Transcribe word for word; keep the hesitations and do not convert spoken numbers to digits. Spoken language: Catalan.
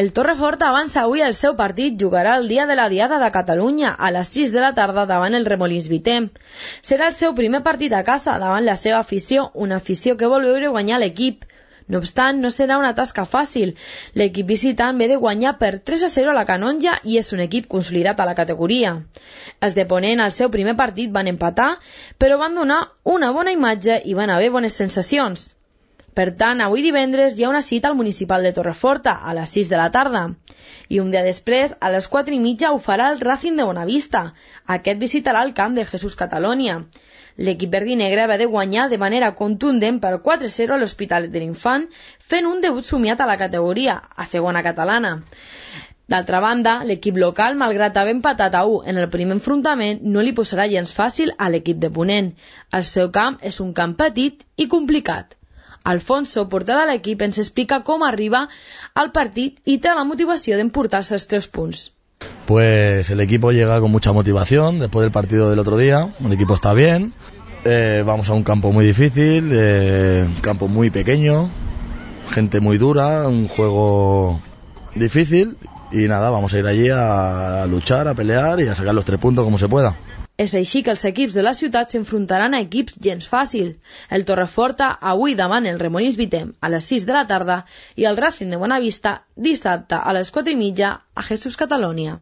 El Torreforta avança avui el seu partit, jugarà el dia de la Diada de Catalunya a les sis de la tarda davant el Remolins Vitem. Serà el seu primer partit a casa davant la seva afició, una afició que vol veure guanyar l'equip. No obstant, no serà una tasca fàcil. L'equip visitant ve de guanyar per tres a zero a la Canonja i és un equip consolidat a la categoria. Els de Ponent al seu primer partit van empatar, però van donar una bona imatge i van haver bones sensacions. Per tant, avui divendres hi ha una cita al Municipal de Torreforta a les sis de la tarda. I un dia després, a les quatre i mitja, ho farà el Racing de Bonavista. Aquest visitarà el camp de Jesús Catalonia. L'equip verdinegre va de guanyar de manera contundent per quatre a zero a l'Hospitalet de l'Infant, fent un debut somiat a la categoria, a segona catalana. D'altra banda, l'equip local, malgrat haver empatat a u en el primer enfrontament, no li posarà gens fàcil a l'equip de Ponent. El seu camp és un camp petit i complicat. Alfonso, porter de l'equip, ens explica com arriba al partit y te da la motivación de emportarse los tres puntos. Pues el equipo llega con mucha motivación después del partido del otro día. El equipo está bien. Eh, vamos a un campo muy difícil, eh, un campo muy pequeño, gente muy dura, un juego difícil y nada, vamos a ir allí a luchar, a pelear y a sacar los tres puntos como se pueda. És així que els equips de la ciutat s'enfrontaran a equips gens fàcils. El Torreforta avui davant el Remolins Vitem a les sis de la tarda i el Racing de Bonavista dissabte a les quatre i mitja a Jesús Catalonia.